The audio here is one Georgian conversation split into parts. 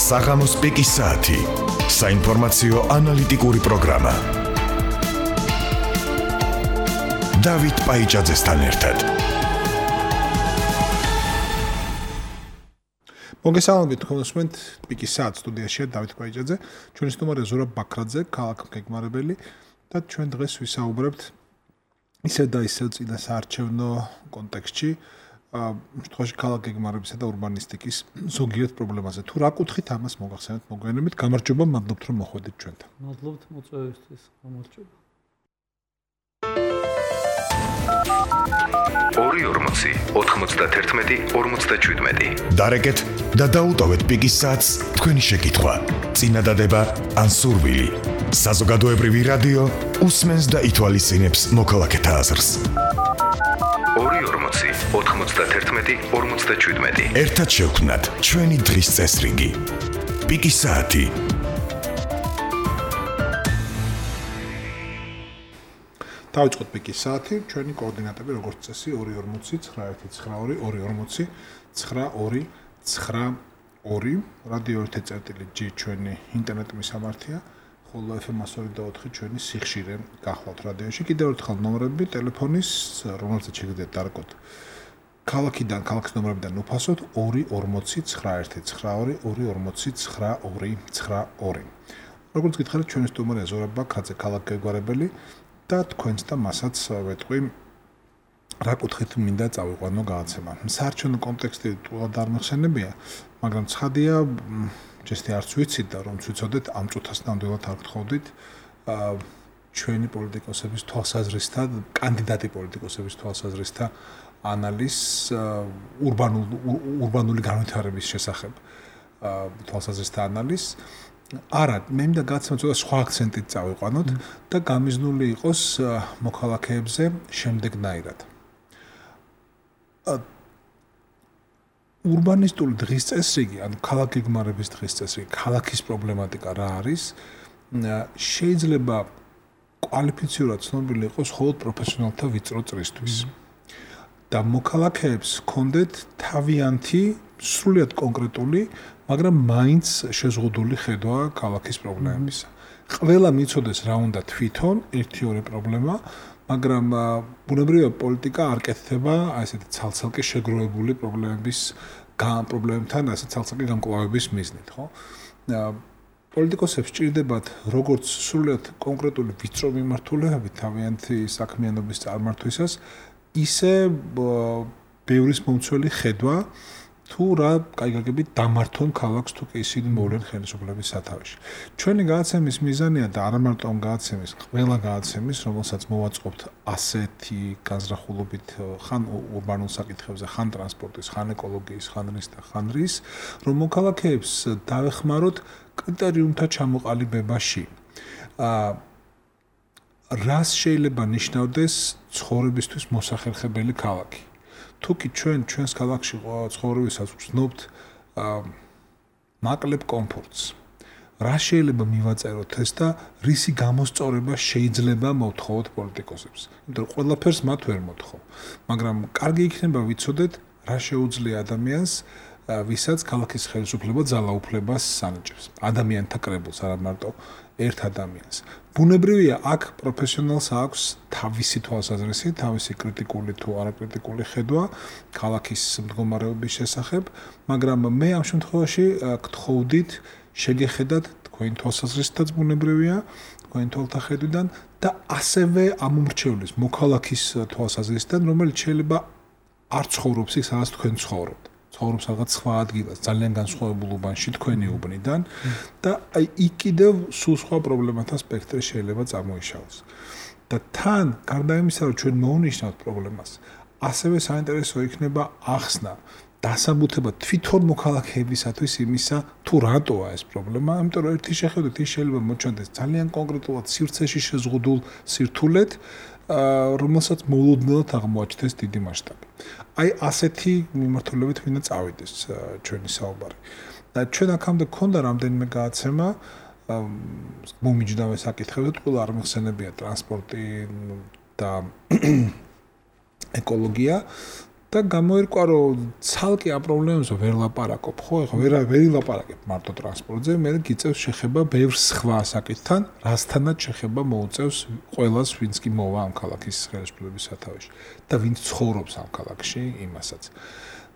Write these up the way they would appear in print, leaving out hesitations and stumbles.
საღამოს პიკის საათი. საინფორმაციო ანალიტიკური პროგრამა. დავით პაიჭაძესთან ერთად. მოგესალმებით თქვენსმენთ პიკის საათ სტუდიაშია დავით პაიჭაძე, ჩვენი სტუმარია ზურაბ ბაქრაძე, ქალაქგეგმარებელი და ჩვენ დღეს ვისაუბრებთ ისე და ისე წინა საარჩევნო კონტექსტში შემთხვევაში ქალაქგეგმარებისა და ურბანისტიკის ზოგიერთ პრობლემაზე. თუ რა კუთხით ამას მოგახსენებთ მოგვიანებით, გამარჯობა, მადლობთ რომ მოხვედით ჩვენთან. მადლობთ მოწვევისთვის, გამარჯობა. 2-40-91-47. დარეკეთ და დაუტოვეთ პიკის საათს თქვენი შეკითხვა, წინადადება ან სურვილი. საზოგადოებრივი რადიო უსმენს და ითვალისწინებს მოქალაქეთა აზრს. 2-40-91-47. ერთად შევქმნათ ჩვენი დღის წესრიგი. პიკის საათი. დავიწყოთ პიკის საათი, ჩვენი კოორდინატები როგორც წესი 2-40-19-92-92 რადიო 1.G ჩვენი ინტერნეტ მისამართია, ხოლო FM 102.4 ჩვენი სიხშირე გახლავთ რადიოში. კიდევ ერთხელ ნომრები ტელეფონის, რომელზეც შეგიძლიათ დარეკოთ ქალაქიდან, ქალაქის ნომრებიდან უფასოდ 2-40-91-92 2-40-92. როგორც გითხარით, ჩვენი სტუმარია ზურაბ ბაქრაძე, ქალაქგეგმარებელი და თქვენს და მასაც ვეტყვი რა კუთხით მინდა წავიყვანო გადაცემა. საარჩევნო კონტექსტი თულად არ მეხსენებია, მაგრამ ცხადია, ჯესტი არც ვიცით და რომ ვიცოდეთ, ამ წუთას ნამდვილად არ გთხოვდით ჩვენი პოლიტიკოსების თვალსაზრისთა, კანდიდატი პოლიტიკოსების თვალსაზრისთა ანალიზს ურბანული განვითარების შესახებ თვალსაზრისთა ანალიზს. არა, მე მინდა გადაცემა ცოტა სხვა აქცენტით წავიყვანოთ და გამიზნული იყოს მოქალაქეებზე შემდეგნაირად. ურბანისტული დღის წესრიგი, ანუ ქალაქგეგმარების დღის წესრიგი, ქალაქის პრობლემატიკა რა არის, შეიძლება კვალიფიცირებულად ცნობილი იყოს მხოლოდ პროფესიონალთა ვიწრო წრისთვის. და მოქალაქეებს ჰქონდეთ თავიანთი, სრულიად კონკრეტული, მაგრამ მაინც შეზღუდული ხედვა ქალაქის პრობლემებისა. ყველა მიცოდეს რა უნდა თვითონ ერთი-ორი პრობლემა, მაგრამ ბუნებრივია პოლიტიკა არ კეთდება ესეთი ცალ-ცალკე შეგროვებული პრობლემებთან, ასე ცალ-ცალკე გამკლავების მიზნით, ხო? პოლიტიკოსებს სჭირდებათ როგორც სრულიად კონკრეტული ვიწრო მიმართულებები თავიანთი საქმიანობის წარმართვისას, ისე ბევრის მომცველი ხედვა თუ რა კაიგაგებით დამართონ ქალაქს თუ კი ისინი მოვლენ ხელისუფლების სათავეში. ჩვენი გადაცემის მიზანია და არა მარტო ამ გადაცემის, ყველა გადაცემის, რომელსაც მოვაწყობთ ასეთი განზრახულობით ხან ურბანულ საკითხებზე, ხან ტრანსპორტის, ხან ეკოლოგიის, ხან რის და ხან რის, რომ მოქალაქეებს დავეხმაროთ კრიტერიუმთა ჩამოყალიბებაში. რას შეიძლება ნიშნავდეს ცხოვრებისთვის მოსახერხებელი ქალაქი? თუ კი ჩვენს ქალაქში ცხოვრებისას ვცნობთ მაკლებ კომფორტს, რა შეიძლება მივაწეროთ ეს და რისი გამოსწორება შეიძლება მოვთხოვოთ პოლიტიკოსებს? იმიტომ რომ ყველაფერს მათ ვერ მოთხოვ, მაგრამ კარგი იქნება ვიცოდეთ რა შეუძლია ადამიანს, ვისაც ქალაქის ხელისუფლება ძალაუფლებას ანიჭებს. ადამიანთა კრებულს, არა მარტო ერთ ადამიანს. ბუნებრივია, აქ პროფესიონალს აქვს თავისი თვალსაზრისი, თავისი კრიტიკული თუ არაკრიტიკული ხედვა ქალაქის მდგომარეობის შესახებ, მაგრამ მე ამ შემთხვევაში გთხოვდით შეგეხედათ თქვენი თვალსაზრისითაც ბუნებრივია, თქვენი თვალთახედვიდან და ასევე ამომრჩევლის მოქალაქის თვალსაზრისიდან, რომელიც შეიძლება არ ცხოვრობს იქ, სადაც თქვენ ცხოვრობთ. ცხოვრობს რაღაც სხვა ადგილას, ძალიან განსხვავებულ უბანში თქვენი უბნიდან და აი იქ კიდევ სულ სხვა პრობლემათა სპექტრი შეიძლება წარმოიშალოს. და თან, გარდა იმისა, რომ ჩვენ მოვნიშნავთ პრობლემას, ასევე საინტერესო იქნება ახსნა, დასაბუთება თვითონ მოქალაქეებისათვის იმისა, თუ რატოა ეს პრობლემა, იმიტომ რომ ერთი შეხედვით ის შეიძლება მოჩვენდეს ძალიან კონკრეტულად სივრცეში შეზღუდულ სირთულეთ, რომელსაც მოულოდნელად აღმოაჩნდეს დიდი მასშტაბი. აი ასეთი მიმართულებით მინდა წავიდეს ჩვენი საუბარი. და ჩვენ აქამდე გქონდა რამდენიმე გადაცემა მომიჯნავე საკითხებზე, ყველა არ მეხსენებია ტრანსპორტი და ეკოლოგია და გამოერკვა რომ ცალკე ამ პრობლემებზე ვერ ლაპარაკობ, ხო? ეხლა ვერ ილაპარაკებ მარტო ტრანსპორტზე, მე გიწევს შეხება ბევრ სხვა საკითხთან, რასთანაც შეხება მოუწევს ყველას, ვინც კი მოვა ამ ქალაქის ხელისუფლების სათავეში და ვინც ცხოვრობს ამ ქალაქში, იმასაც.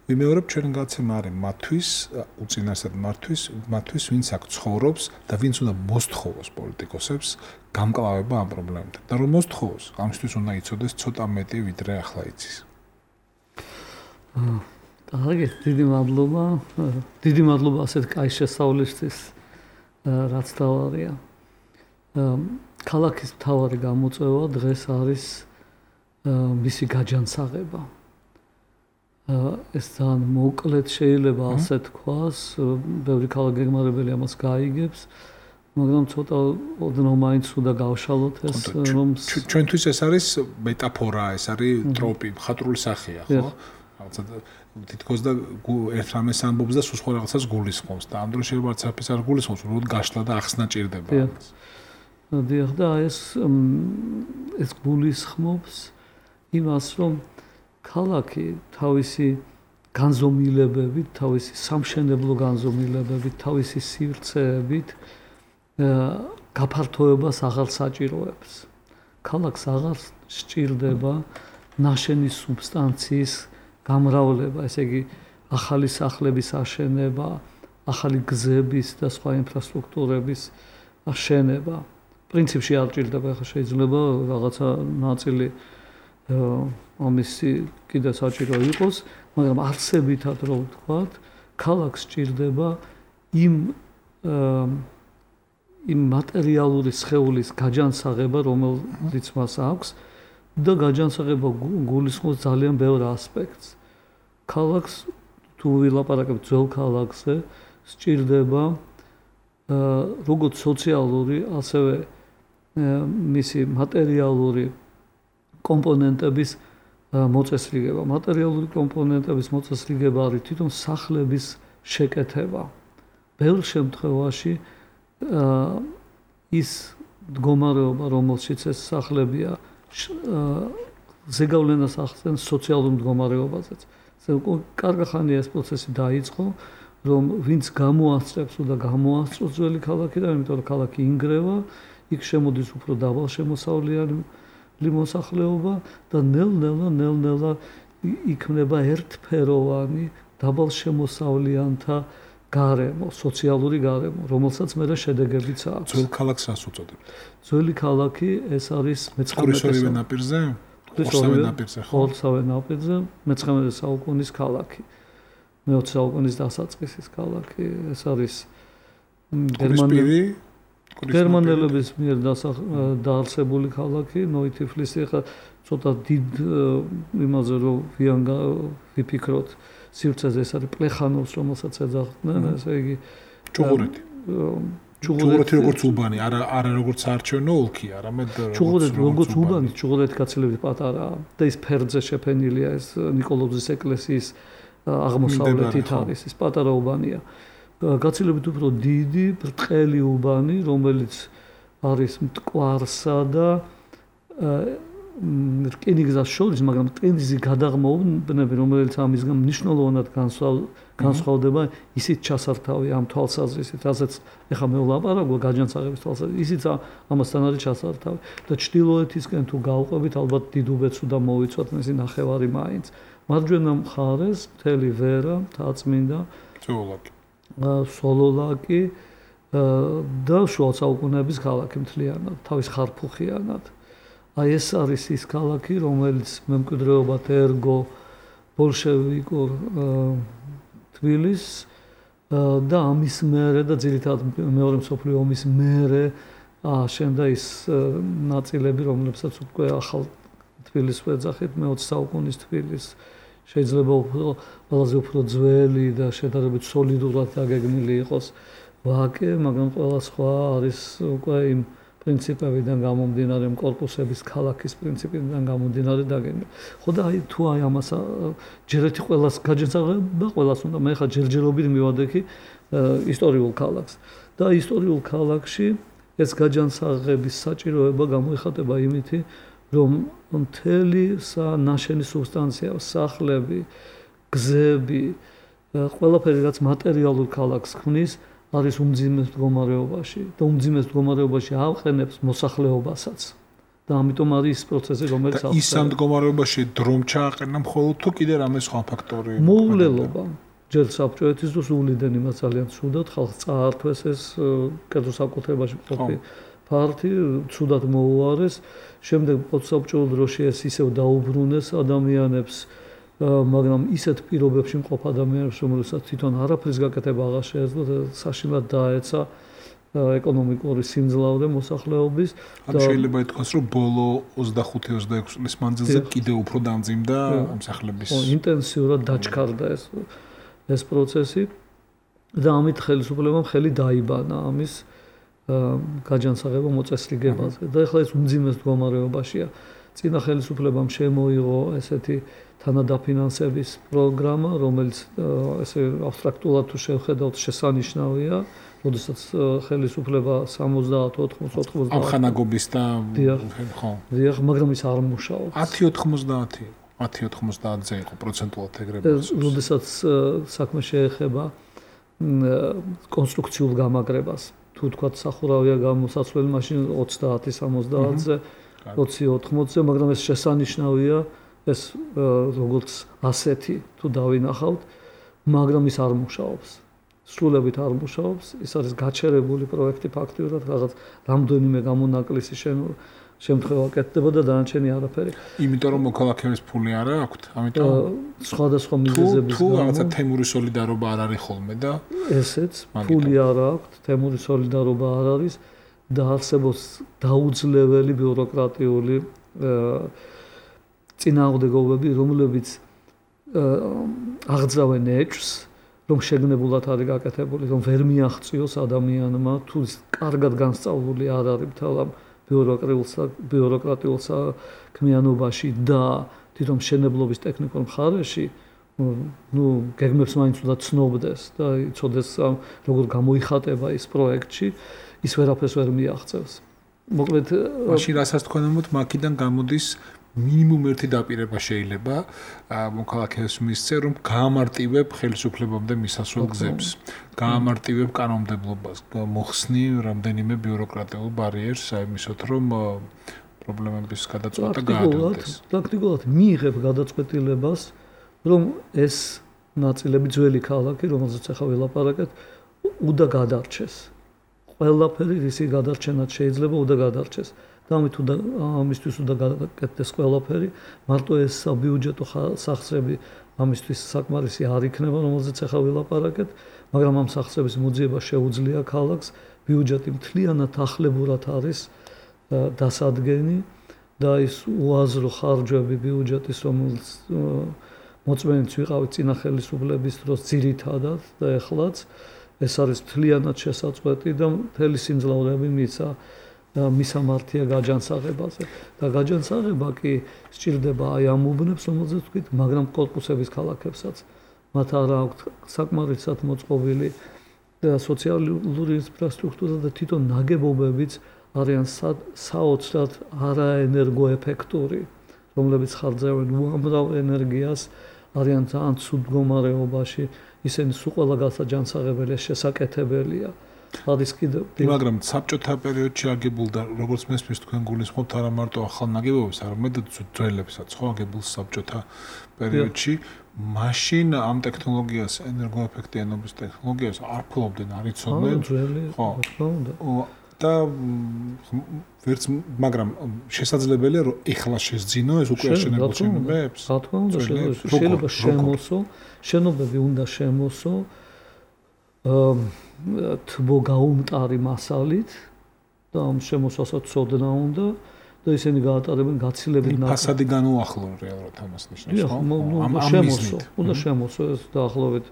ვიმეორებ ჩვენ გაცემა არის მათთვის, უწინარესად მათთვის, ვინც აქ ცხოვრობს და ვინც უნდა მოსთხოვოს პოლიტიკოსებს გამკლავება ამ პრობლემებთან. და რომ მოსთხოვოს, ამისთვის უნდა იცოდეს ცოტა მეტი ვიდრე ახლა იცის. კარგი, დიდი მადლობა ასეთ კაი შესწავლისთვის, რაც თავარია. ქალაქის მთავარი გამოწვევა დღეს არის მისი გაჯანსაღება. ეს ძალიან მოკლედ შეიძლება ასე თქვას, ბევრი ქალაქგეგმარებელი ამას გაიგებს, მაგრამ ცოტა ოდნავ მაინც უნდა გავშალოთ ეს რომ ჩვენთვის ეს არის მეტაფორა, ეს არის ტროპი, მხატვრული სახეა, ხო? რაღაცა თითქოს და ერთ რამეს ამბობს და სულ სხვა რაღაცას გულისხმობს და ამ დროს შეიძლება არც არ გულისხმობს, რომ გაშლა და ახსნა ჭირდება ამას. დიახ, და ეს გულისხმობს იმას, რომ ქალაქი თავისი განზომილებებით, თავისი სამშენებლო განზომილებებით, თავისი სივრცეებით გაფართოებას აღარ საჭიროებს. ქალაქს აღარ სჭირდება ნაშენი სუბსტანციის გამრავლება, ესე იგი ახალი სახლების აშენება, ახალი გზების და სხვა ინფრასტრუქტურების აშენება. პრინციპში არ ჭირდება, ახლა შეიძლება რაღაცა ნაწილი ამისი კიდე საჭირო იყოს, მაგრამ არსებითად რო ვთქვათ, ქალაქს სჭირდება იმ მატერიალური სხეულის გაჯანსაღება, რომელიც მას აქვს და გაჯანსაღება გულისხმობს ძალიან ბევრ ასპექტს. ქალაქს თუ ვილაპარაკებთ ძველ ქალაქზე, სჭირდება როგორც სოციალური, ასევე მისი მატერიალური კომპონენტების მოწესრიგება. მატერიალური კომპონენტების მოწესრიგება არის თვითონ სახლების შეკეთება. ბევრ შემთხვევაში ის მდგომარეობა, რომელშიც ეს სახლებია, ზეგავლენას ახდენს სოციალურ მდგომარეობაზეც. კარგახანია ეს პროცესი დაიწყო, რომ ვინც გამოასწრებს და გამოასწროს ძველი ქალაქიდან, იმიტომ რომ ქალაქი ინგრევა, იქ შემოდის უფრო დაბალშემოსავლიანი მოსახლეობა და ნელ-ნელა იქმნება ერთფეროვანი დაბალშემოსავლიანთა გარემო, სოციალური გარემო, რომელსაც მერე შედეგებიც აქვს. ძველ ქალაქს რას უწოდებთ? ძველი ქალაქი ეს არის მე-19 ნაპირზე? ორსავე ნაპირზე, მე-19 საუკუნის ქალაქი. მე-20 საუკუნის დასაწყისის ქალაქი, ეს არის გერმანელების მიერ დაარსებული ქალაქი, ნოი-თიფლისი. ახლა ცოტა დიდ იმაზე რომ ვიფიქროთ სივრცეზე, ეს არის პლეხანოვს, რომელსაც ეძახდნენ, ესე იგი ჩუღურეთი როგორც უბანი, არა როგორც საარჩევნო ოლქი, არამედ როგორც უბანი, ჩუღურეთი გაცილებით პატარაა და ის ფერდზე შეფენილია, ეს ნიკოლოზის ეკლესიის აღმოსავლეთით არის, ეს პატარა უბანია. გაცილებით უფრო დიდი, ბრტყელი უბანი, რომელიც არის მტკვარსა და რკინიგზას შორის, მაგრამ რკინიგზის გადაღმოვნები, რომელიც ამისგან მნიშვნელოვნად განსხვავდება, ისიც ჩასართავი ამ თვალსაზრისით, რასაც ეხლა მე ვლაპარაკობ გაჯანსაღების თვალსაზრისით, ისიც ამასთან არის ჩასართავი. და ჩრდილოეთისკენ თუ გავყვებით, ალბათ დიდუბეთს უნდა მოვიცვათ მისი ნახევარი მაინც. მარჯვენა მხარეს მთელი ვერა, მთაწმინდა, სოლოლაკი და შუა საუკუნეების ქალაქი მთლიანად, თავის ხარფუხიანად. აი ეს არის ის ქალაქი, რომელიც მემკვიდრეობად ერგო ბოლშევიკურ თბილისს და ამის მერე და ძირითადად მეორე მსოფლიო ომის მერე აშენდა ის ნაწილები, რომლებსაც უკვე ახალ თბილისს ვეძახით, მე-20 საუკუნის თბილისს. შეიძლება ყველაზე უფრო ძველი და შედარებით სოლიდურად დაგეგმილი იყოს ვაკე, მაგრამ ყველა სხვა არის უკვე იმ პრინციპებიდან გამომდინარე, კორპუსების ქალაქის პრინციპიდან გამომდინარე დაგეგმილი. ხო და აი თუ აი ამას ჯერ ერთი ყველას გაჯანსაღება, ყველას უნდა მე ხა ჯერჯერობით მივადექი ისტორიულ ქალაქს. და ისტორიულ ქალაქში ეს გაჯანსაღების საჭიროება გამოიხატება იმითი, რომ მთელი ნაშენი სუბსტანცია, სახლები, გზები, ყველაფერი რაც მატერიალურ ქალაქს ქმნის, არის უმძიმეს მდგომარეობაში და უმძიმეს მდგომარეობაში აყენებს მოსახლეობასაც. და ამიტომ არის ის პროცესი, რომელიც და ის ამ მდგომარეობაში დრომ ჩააყენა მხოლოდ თუ კიდე რამე სხვა ფაქტორი მოულელობა. ჯერ საბჭოეთის დროს უვლიდან იმას ძალიან ცუდად ხალხს წაართვეს ეს კერძო საკუთრებაში მყოფი ფართი, ცუდად მოუარეს. შემდეგ პოსტსაბჭოურ დროში ეს ისევ დაუბრუნეს ადამიანებს, მაგრამ ისეთ პირობებში მყოფ ადამიანებს, რომელსაც თვითონ არაფრის გაკეთება აღარ შეეძლოთ, საშინლად დაეცა ეკონომიკური სიმძლავრე მოსახლეობის და შეიძლება ითქვას, რომ ბოლო 25-26 წლის მანძილზე კიდევ უფრო დამძიმდა ამ სახლების ინტენსიურად დაჩქარდა ეს პროცესი და ამით ხელისუფლებამ ხელი დაიბანა ამის გაჯანსაღება მოწესრიგებაზე და ეხლა ეს უმძიმეს მდგომარეობაშია. წინა ხელისუფლებამ შემოიღო ესეთი თანადაფინანსების პროგრამა, რომელიც ესე აბსტრაქტულად თუ შევხედავთ შესანიშნავია, როდესაც ხელისუფლება 70-80 ამ ხანაგობის და ხო. დიახ, მაგრამ ის არ მუშაობს. 10-90-ზე იყო პროცენტულად ეგრევე. როდესაც საქმე შეეხება კონსტრუქციულ გამაგრებას, თუ თქვათ სახურავია გამოსაცვლელი მაშინ 30-70-ზე, 20-80-ზე, მაგრამ ეს შესანიშნავია, ეს როგორც ასეთი თუ დავინახავთ, მაგრამ ის არ მუშაობს. სრულებით არ მუშაობს, ის არის გაჩერებული პროექტი ფაქტიურად, რაღაც რამდენიმე გამონაკლისი შემთხვევა კეთდება და დანარჩენი არაფერი. იმიტომ რომ მოქალაქეების ფული არ აქვთ, ამიტომ სხვადასხვა მიზეზების თუ რაღაცა თემური სოლიდარობა არ არის ხოლმე და ესეც ფული არ აქვთ, თემური სოლიდარობა არ არის და არსებობს დაუძლეველი ბიუროკრატიული წინააღმდეგობები, რომლებიც აღძრავენ ეჭვს, რომ შეგნებულად არის გაკეთებული, რომ ვერ მიაღწიოს ადამიანმა, თუ კარგად განსწავლული არ არის მთელ ბიუროკრატიულ საქმიანობაში და თვითონ მშენებლობის ტექნიკურ მხარეში, გეგმებს მაინც უნდა ცნობდეს და იცოდეს როგორ გამოიხატება ის პროექტში, ის ვერაფერს ვერ მიაღწევს. მოკლედ, მაშინ რასაც თქვენ ამბობთ, მაქედან გამოდის მინიმუმ ერთი დაპირება შეიძლება მოქალაქეებს მისცე, რომ გაამარტივებ ხელისუფლებამდე მისასვლელ გზებს, გაამარტივებ კანონმდებლობას, მოხსნი რამდენიმე ბიუროკრატიულ ბარიერს, აიმისოთ, რომ პრობლემების გადაწყვეტა გაადვილდეს. პრაქტიკულად მიიღებ გადაწყვეტილებას, რომ ეს ნაწილები ძველი ქალაქი, რომელზეც ახლა ველაპარაკეთ, უნდა გადარჩეს. ყველაფერი რისი გადარჩენად შეიძლება უნდა გადარჩეს. და ამისთვის უნდა გაკეთდეს ყველაფერი, მარტო ეს საბიუჯეტო სახსრები ამისთვის საკმარისი არ იქნება, რომელზეც ახლა ვილაპარაკეთ, მაგრამ ამ სახსრების მოძიება შეუძლია ქალაქს, ბიუჯეტი მთლიანად ახლებურად არის დასადგენი და ის უაზრო ხარჯვები ბიუჯეტის, რომელიც მოწმენიც ვიყავით წინა ხელისუფლების დროს ძირითადად და ეხლაც ეს არის მთლიანად შესაწყვეტი და მთელი სიმძლავრეები მიცა მისამართია გაჯანსაღებაზე და გაჯანსაღება კი სჭირდება აი ამ უბნებს, რომელზეც ვთქვით, მაგრამ კორპუსების ქალაქებსაც მათ არ აქვთ საკმარისად მოწყობილი სოციალური ინფრასტრუქტურა და თვითონ ნაგებობებიც არიან საოცრად არაენერგოეფექტური, რომლებიც ხარჯავენ უამრავ ენერგიას, არიან ძალიან ცუდ მდგომარეობაში, ისინი სულ ყველა გასაჯანსაღებელია, შესაკეთებელია. მაგრამ საბჭოთა პერიოდში აგებულდა, როგორც მესმის თქვენ გულისხმობთ, არა მარტო ახალ ნაგებობებს, არამედ ძველებსაც, ხო, აგებულ საბჭოთა პერიოდში, მაშინ ამ ტექნოლოგიას, ენერგოეფექტიანობის ტექნოლოგიას არ ფლობდნენ, არ იცოდნენ. ხო, და ვერც, მაგრამ შესაძლებელია, რომ ეხლა შესძინო ეს უკვე აშენებულ შენობებს? რა თქმა უნდა, შეიძლება შემოსო, შენობები უნდა შემოსო. თბო გაუმტარი მასალით და ამ შემოსასაც ცოდნა უნდა და ისინი გაატარებენ გაცილებით ფასადი განუახლო რეალურად ამას ნიშნავს, ხო? შემოსო, უნდა შემოსო ეს დაახლოებით,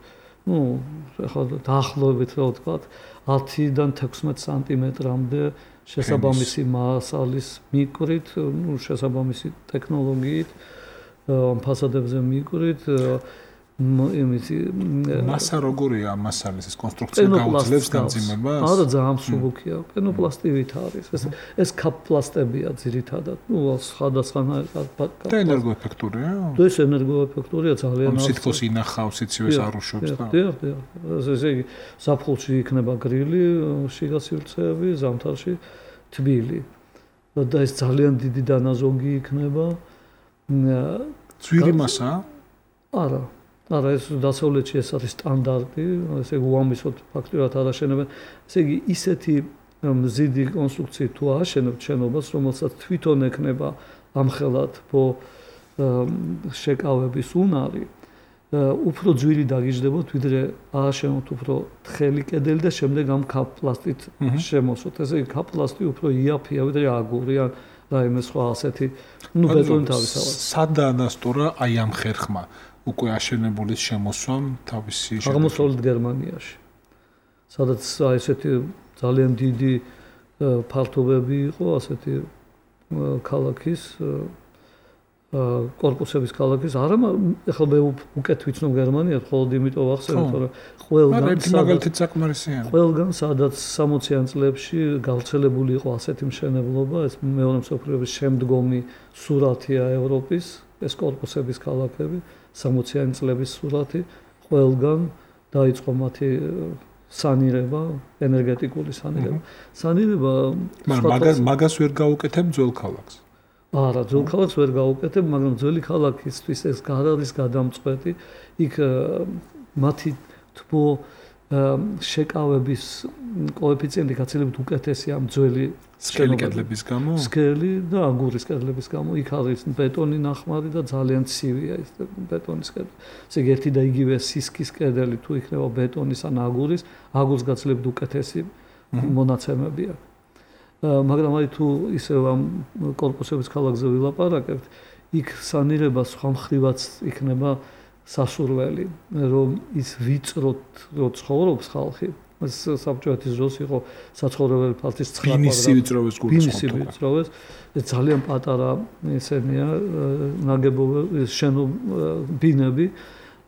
ახლა დაახლოებით რა ვთქვა, 10-დან 16 სანტიმეტრამდე შესაბამისი მასალის მიკრით, შესაბამისი ტექნოლოგიით, ფასადებზე მიკრით მასა როგორია მასალის ეს კონსტრუქცია გაუძლებს გამძიმებას? არა, ძალიან მსუბუქია. პენოპლასტივით არის. ეს კაპლასტებია ძირითადად. სხვადასხვა და ენერგოეფექტურია? ეს ენერგოეფექტურია ძალიან. სითქოს ინახავს, იცივეს არუშობს და. დიახ. ესე იგი, ზაფხულში იქნება გრილი, შიგასივრცეები, ზამთარში თბილი. და ეს ძალიან დიდი დანაზოგი იქნება. ძვირი მასაა? არა. არა, ეს დასავლეთში ეს არის სტანდარტი, ესე იგი უამისოდ ფაქტურად არ აშენებენ. ესე იგი, ისეთი მზიდი კონსტრუქციით თუ აშენებთ შენობას, რომელსაც თვითონ ექნება ამხელად შეკავების უნარი, უფრო ძვირი დაგიждდებოთ, ვიდრე ააშენოთ უფრო თხელი კედელი და შემდეგ ამ კაპლასტით შემოსვოთ. ესე იგი, კაპლასტი უფრო იაფია, ვიდრე აგური ან რაიმე სხვა ასეთი, ბეტონი თავისთავად. სადაა დასტურა აი ამ ხერხმა? უკვე აშენებული შემოსვამ თავისი აღმოსავლეთ გერმანიაში. სადაც ესეთი ძალიან დიდი ფართობები იყო, ასეთი ქალაქის კორპუსების ქალაქის, არა, ეხლა მე უკეთ ვიცნობ გერმანიას, ხოლოდ იმიტომ ვახსენებ, რომ ყველგან სადაც 60-იან წლებში გავრცელებული იყო ასეთი მშენებლობა, ეს მეორე მსოფლიო ომის შემდგომი სურათია ევროპის, ეს კორპუსების ქალაქები 60-იანი წლების სურათი, ყველგან დაიწყო მათი სანირება, ენერგეტიკული სანირება. მაგრამ მაგას ვერ გაუკეთებ ძველ ქალაქს. არა, ძველ ქალაქს ვერ გაუკეთებ, მაგრამ ძველი ქალაქისთვის ეს არ არის გადამწყვეტი. იქ მათი თბო შეკავების კოეფიციენტი გაცილებით უკეთესია ამ ძველი სკელი კედლების გამო? სკელი და აგურის კედლების გამო. იქ არის ბეტონი ნახმარი და ძალიან ცივია ეს ბეტონის კედელი. ესე იგი, ერთი და იგივე სისქის კედელი თუ იქნება ბეტონის ან აგურის გაცილებით უკეთესი მონაცემები აქვს. მაგრამ აი თუ ისე ამ კორპუსების ქალაქზე ვილაპარაკებთ, იქ სანირება სხვა მხრივაც იქნება სასურველი, რომ ის ვიწროთ რო ცხოვრობს ხალხი. ეს საბჭოეთის დროს იყო საცხოვრებელი ფართის 9 კვადრატი. ბინისი ვიწროვეს. ეს ძალიან პატარა ესენია ნაგებობები, ბინები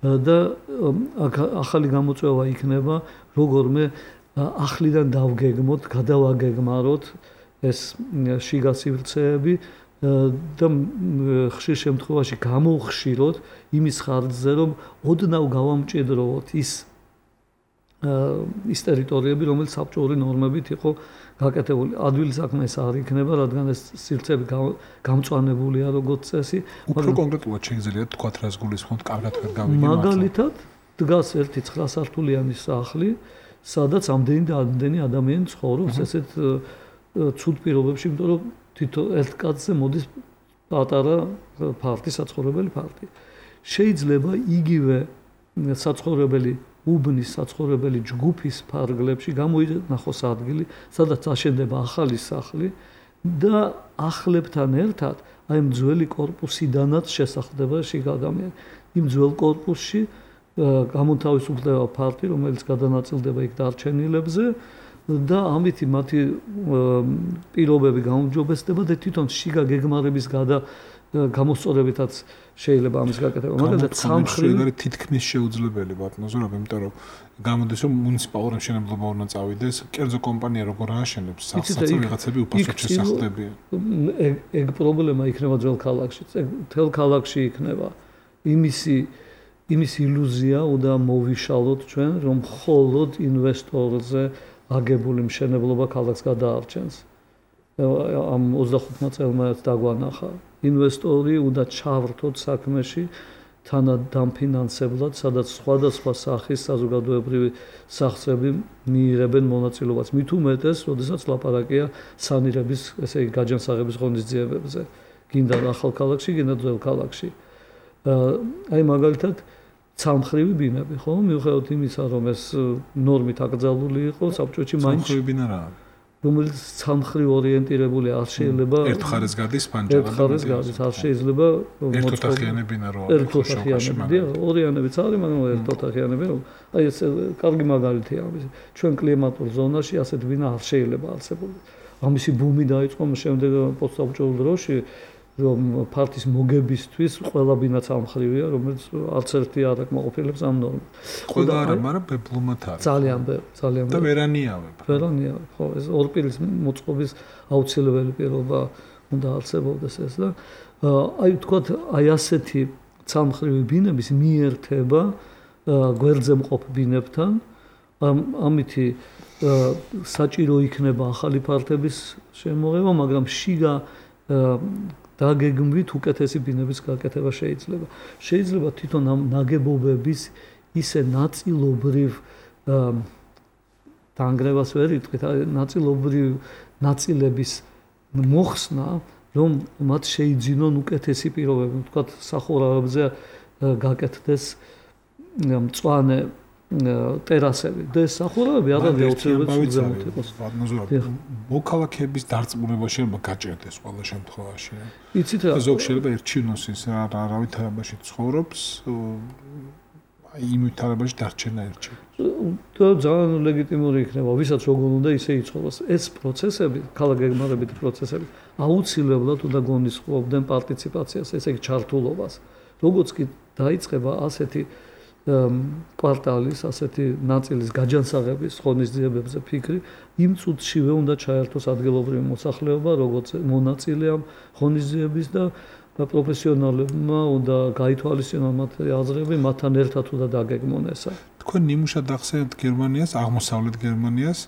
და ახალი გამოწვევა იქნება, როგორმე ახლიდან დავგეგმოთ, გადავაგეგმაროთ ეს შიგასივრცეები და ხშირ შემთხვევაში გამოვხშიროთ იმის ხარჯზე, რომ ოდნავ გავამჭიდროთ ის ტერიტორიები, რომელიც საბჭოური ნორმებით იყო გაკეთებული. ადვილი საქმე ეს არ იქნება, რადგან ეს სივრცეები გამწვანებულია როგორც წესი. უფრო კონკრეტულად შეგიძლიათ თქვათ, რას გულისხმობთ, კარგად ვერ გავიგე. მაგალითად, დგას ერთი 9 სართულიანი სახლი, სადაც ამდენი ადამიანი ცხოვრობს ესეთ ცუდ პირობებში, იმიტომ რომ თითო ერთ კაცზე მოდის პატარა ფარტი, საცხოვრებელი ფარტი. შეიძლება იგივე საცხოვრებელი უბნის საცხოვრებელი ჯგუფის ფარგლებში გამოინახოს ადგილი, სადაც აშენდება ახალი სახლი და ახლებთან ერთად აი ამ ძველი კორპუსიდანაც შესახდება შიგ ადამიანი. იმ ძველ კორპუსში გამოთავისუფლდება ფარტი, რომელიც გადანაწილდება იქ დარჩენილებზე და ამით მათი პირობები გაუმჯობესდება და თვითონ შიგა გეგმარების გამოსწორებითაც შეიძლება ამის გაკეთება. მაგალითად, სამხრეთი თითქმის შეუძლებელი ბატონო, იმიტომ რომ გამოდის რომ მუნიციპალური მშენებლობა უნდა წავიდეს, კერძო კომპანია როგორ ააშენებს სახლს, ვიღაცები უფასოდ შესახლებიან. ეგ პრობლემა იქნება ძველ ქალაქში. თელ ქალაქში იქნება იმის ილუზია უნდა მოვიშალოთ ჩვენ, რომ მხოლოდ ინვესტორზე აგებული მშენებლობა ქალაქს გადაარჩენს. ამ 25 წელმა დაგვანახა. ინვესტორი უნდა ჩავრთოთ საქმეში თანადამფინანსებლად, სადაც სხვადასხვა სახის საზოგადოებრივი სახსრები მიიღებენ მონაწილეობას. მით უმეტეს, როდესაც ლაპარაკია სანირების, ესე იგი, გაჯანსაღების ღონისძიებებზე. გინდა ახალ ქალაქში, გინდა ძველ ქალაქში. აი მაგალითად ცალმხრივი ბინები, ხო? მიუხედავად იმისა, რომ ეს ნორმით აკრძალული იყო, საბჭოებში მაინც ცალმხრივი ბინა რა არის? რომელიც ცალმხრივ ორიენტირებული არ შეიძლება ერთ მხარეს გადის პანჯარა ერთ მხარეს გადის არ შეიძლება ერთოთახიანი ბინა რო ერთოთახიანები ორიანებიც არის მაგრამ ერთოთახიანები რომ აი ეს კარგი მაგალითია ამის ჩვენ კლიმატურ ზონაში ასეთ ბინა არ შეიძლება არსებობდეს ამისი ბუმი დაიწყო შემდეგ პოსტსაბჭოურ დროში რომ ფართის მოგებისთვის ყველა ბინაც ამხრივია, რომელიც არც ერთი არ აკმაყოფილებს ამ ნორმას. ყველა არა, მაგრამ ბებლომად არის. ძალიან ძალიან და ვერანიავებ. ვერანიავებ. ხო, ეს ორ პირის მოწყობის აუცილებელი პირობა უნდა არსებობდეს ეს და აი ვთქვათ, აი ასეთი ცალმხრივი ბინების მიერთება გვერდზე მყოფ ბინებთან, ამითი საჭირო იქნება ახალი ფართების შემოღება, მაგრამ შიგა დაგეგმვით უკეთესი ბინების გაკეთება შეიძლება. შეიძლება თვითონ ამ ნაგებობების ისე ნაწილობრივ დაანგრევას ვერ იტყვით, ნაწილობრივ ნაწილების მოხსნა, რომ მათ შეიძინონ უკეთესი პირობები, ვთქვათ, სახურავებზე გაკეთდეს მწვანე ტერასები და ეს სახურავები აღარ აუცილებლად იყოს. მოქალაქეების დარწმუნება შეიძლება გაჭირდეს ყველა შემთხვევაში. იცით რა? ზოგ შეიძლება ერჩინოს ის რა ვითარებაში ცხოვრობს, იმ ვითარებაში დარჩენა ერჩინოს. და ძალიან ლეგიტიმური იქნება, ვისაც როგორ უნდა ისე იცხოვროს. ეს პროცესები, ქალაქგეგმარებითი პროცესები აუცილებლად უნდა გონისხმობდნენ პარტიციპაციას, ესე იგი ჩართულობას. როგორც კი დაიწყება ასეთი კვარტალის, ასეთი ნაწილის გაჯანსაღების ღონისძიებებზე ფიქრი, იმ წუთშივე უნდა ჩაერთოს ადგილობრივი მოსახლეობა, როგორც მონაწილე ამ ღონისძიების და პროფესიონალებმა უნდა გაითვალისწინონ მათი აზრები, მათთან ერთად უნდა დაგეგმონ ესა. თქვენ ნიმუშად ახსენებთ გერმანიას, აღმოსავლეთ გერმანიას,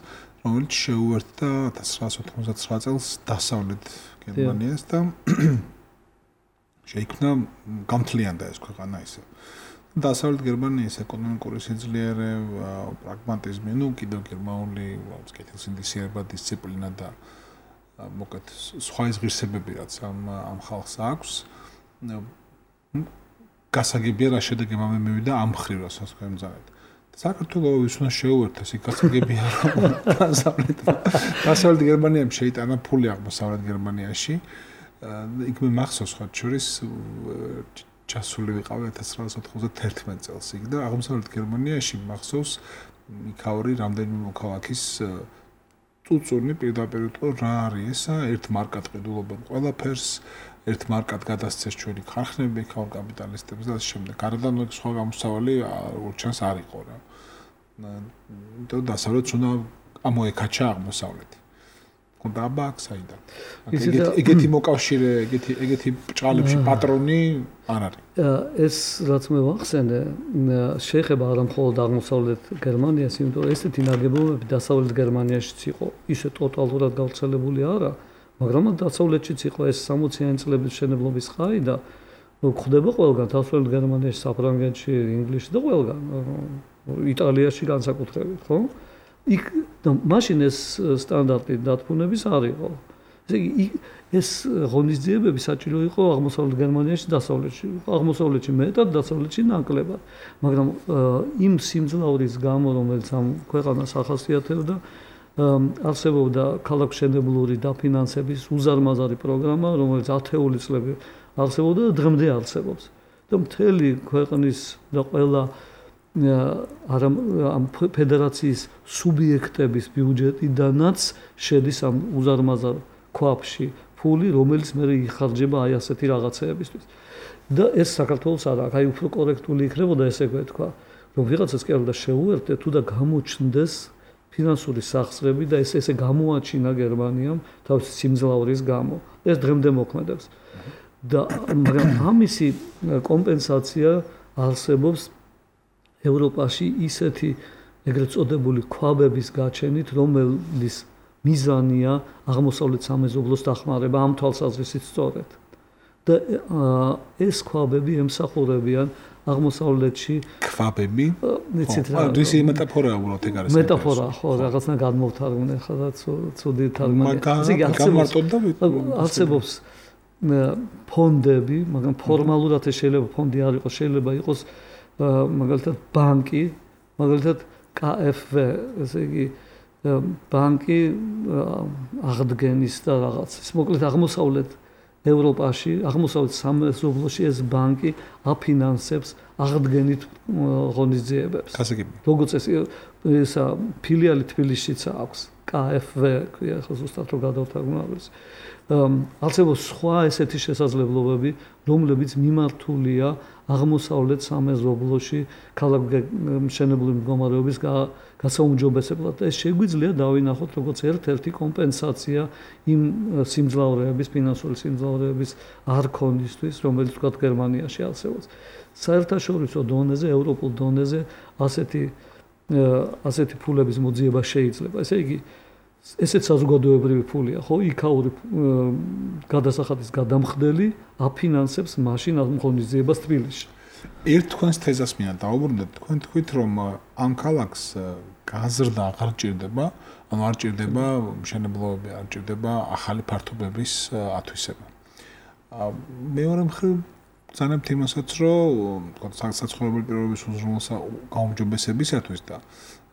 რომელიც შეუერთდა 1999 წელს დასავლეთ გერმანიას და შეიქმნა გამთლიანდა ეს ქვეყანა ისე. დასავლეთ გერმანიის ეკონომიკური სიძლიერე, პრაგმატიზმი, კიდევ გერმანული კეთილსინდისიერება, დისციპლინა და მოკეთ სხვა ღირსებები რაც ამ ხალხს აქვს. გასაგებია რა შედეგი მივიდა ამ მხრივ რასაც თქვენმზარეთ. საქართველოს უნდა შეუერთოს იქ გასაგებია რომ დასავლეთ გერმანიამ შეიტანა ფული აღმოსავლეთ გერმანიაში. იქ მე მახსოვს ხარ შორის ჩასული ვიყავი 1991 წელს იქ და აღმოსავლეთ გერმანიაში მახსოვს იქაური რამდენიმე მოქალაქის წუწუნი პირდაპირ უთქო რა არის ესა ერთ მარკად ყიდულობენ ყველაფერს ერთ მარკად გადასცეს ჩვენი ქარხნები იქაურ კაპიტალისტებს და ამ შემდეგ გარდან სხვა გამოსავალი როგორც ჩანს არ იყო რა და დასავლეთს უნდა ამოეკაჩა აღმოსავლეთი და საიდან ეგეთი მოკავშირე ეგეთი ბჭყალებში პატრონი არ არის ეს რაც მე ვახსენე შეეხება არა მხოლოდ აღმოსავლეთ გერმანიას იმიტომ რომ ესეთი ნაგებობები დასავლეთ გერმანიაშიც იყო ისე ტოტალურად გავრცელებული არა მაგრამ დასავლეთშიც იყო ეს 60-იანი წლების მშენებლობის ხაი და ხდება ყველგან დასავლეთ გერმანიაში საფრანგეთში ინგლისში და ყველგან იტალიაში განსაკუთრებით ხო იქ და მაშინ ეს სტანდარტი დათბუნების არ იყო. ესე იგი ეს ღონისძიებები საჭირო იყო აღმოსავლეთ გერმანიაში, დასავლეთში. აღმოსავლეთში მეტად, დასავლეთში ნაკლებად. მაგრამ იმ სიმძლავრის გამო, რომელიც ამ ქვეყანას ახასიათებდა, არსებობდა ქალაქმშენებლური დაფინანსების უზარმაზარი პროგრამა, რომელიც 10-ული წლები არსებობდა და დღემდე არსებობს. და მთელი ქვეყნის და ყველა ამ ფედერაციის სუბიექტების ბიუჯეტიდანაც შედის ამ უზარმაზარ ქვაბში ფული, რომელიც მე იხარჯება აი ასეთი რაღაცეებისთვის. და ეს საქართველოს არა, აი უფრო კორექტული იქნებოდა ესე ვთქვა, რომ ვიღაცას კი არ უნდა შეუერთდე თუ და გამოჩნდეს ფინანსური სახსრები და ესე გამოაჩინა გერმანიამ თავისი სიმძლავრის გამო. ეს დღემდე მოქმედებს. და მაგრამ ამისი კომპენსაცია არსებობს ევროპაში ისეთი ეგრეთ წოდებული ქვაბების გაჩენით, რომელიც მიზანია აღმოსავლეთ სამეზობლოს დახმარება ამ თვალსაზრისით სწორედ. და ეს ქვაბები ემსახურებიან აღმოსავლეთში ქვაბები? იცით რა? ისი მეტაფორაა უბრალოდ ეგ არის. მეტაფორა, ხო, რაღაცნა გადმოვთარგმნე ხა ცუდი თარგმანი. არსებობს ფონდები, მაგრამ ფორმალურად ეს შეიძლება ფონდი არ იყოს, შეიძლება იყოს მაგალითად ბანკი, მაგალითად KfW, ესე იგი ბანკი აღდგენის და რაღაც. ეს მოკლედ აღმოსავლეთ ევროპაში, აღმოსავლეთ სამეზობლოში ეს ბანკი აფინანსებს აღდგენით ღონისძიებებს. გასაგებია. როგორც ესა ფილიალი თბილისშიც აქვს. KFV ქვია ხო ზუსტად რო გადავთარგმნოს. არსებობს სხვა ესეთი შესაძლებლობები, რომლებიც მიმართულია აღმოსავლეთ სამეზობლოში ქალაქმშენებლური მდგომარეობის გასაუმჯობესებლად. ეს შეგვიძლია დავინახოთ როგორც ერთ-ერთი კომპენსაცია იმ სიმძლავრეების, ფინანსური სიმძლავრეების არ ქონისთვის, რომელიც თქვა გერმანიაში არსებობს. საერთაშორისო დონეზე, ევროპულ დონეზე ასეთი ფულების მოძიება შეიძლება. ესე იგი ესეც საზოგადოებრივი ფულია, ხო? იქაური გადასახადის გადამხდელი აფინანსებს მაშინ ამ ღონისძიებას თბილისში. ერთ თქვენს თეზას მინდა დავუბრუნდეთ. თქვენ თქვით, რომ ამ ქალაქს გაზრდა აღარ ჭირდება, ანუ არ ჭირდება მშენებლობები, არ ჭირდება ახალი ფართობების ათვისება. მეორე მხრივ ძალიან თემასაც, რომ საცხოვრებელი პირობების გაუმჯობესებისათვის და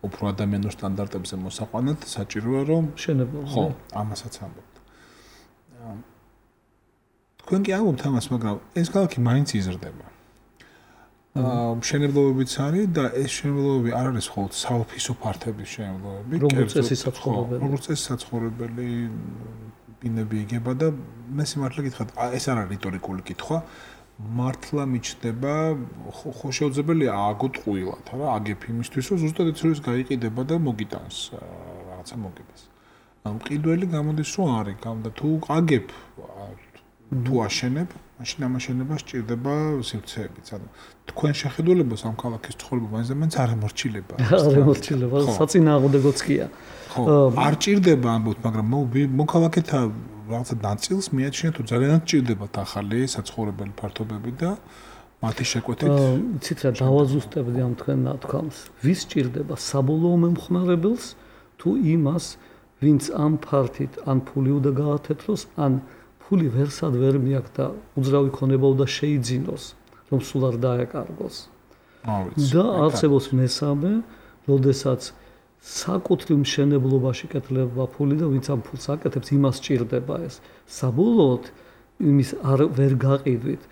უფრო ადამიანურ სტანდარტებზე მოსაყვანად საჭიროა რომ მშენებლობა. ხო, ამასაც ამბობთ. თქვენ კი ამბობთ ამას, მაგრამ ეს ქალაქი მაინც იზრდება. მშენებლობებიც არის და ეს მშენებლობები არ არის მხოლოდ საოფისო ფართების მშენებლობები, როგორც წესი საცხოვრებელი. როგორც წესი საცხოვრებელი ბინები იგება და მე სიმართლე გითხრათ, ეს არ არის რიტორიკული კითხვა. მართლა მიჩნდება ხო შეუძლებელია აგოთ ყვილად, რა, აგებ იმისთვის, რომ ზუსტად ის გაიყიდება და მოგიტანს რაღაცა მოგებას. ანუ მყიდველი გამოდის, რომ არის, და თუ აგებ თუ აშენებ, მაშინ ამ აშენებას სჭირდება სივრცეებიც. ანუ თქვენ შეხედულებას ამ ქალაქის ცხოვრება მაინც არ ემორჩილება. არ ემორჩილება, საწინააღმდეგოც კია. ხო, არ ჭირდება ამბობთ, მაგრამ მოქალაქეთა რაღაცა ნაწილს მიაჩნიათ, თუ ძალიანაც ჭირდებათ ახალი საცხოვრებელი ფართობები და მათი შეკვეთით. იცით რა, დავაზუსტებდი ამ თქვენ ნათქვამს. ვის ჭირდება საბოლოო მომხმარებელს თუ იმას, ვინც ამ ფართით ან ფული უნდა გაათეთროს, ან ფული ვერსად ვერ მიაქვს და უძრავი ქონება უნდა შეიძინოს, რომ სულ არ დაეკარგოს. და არსებობს მესამე, როდესაც საკუთრივ მშენებლობაში კეთდება ფული და ვინც ამ ფულს აკეთებს, იმას ჭირდება ეს. საბოლოოდ იმის არ ვერ გაყიდვით,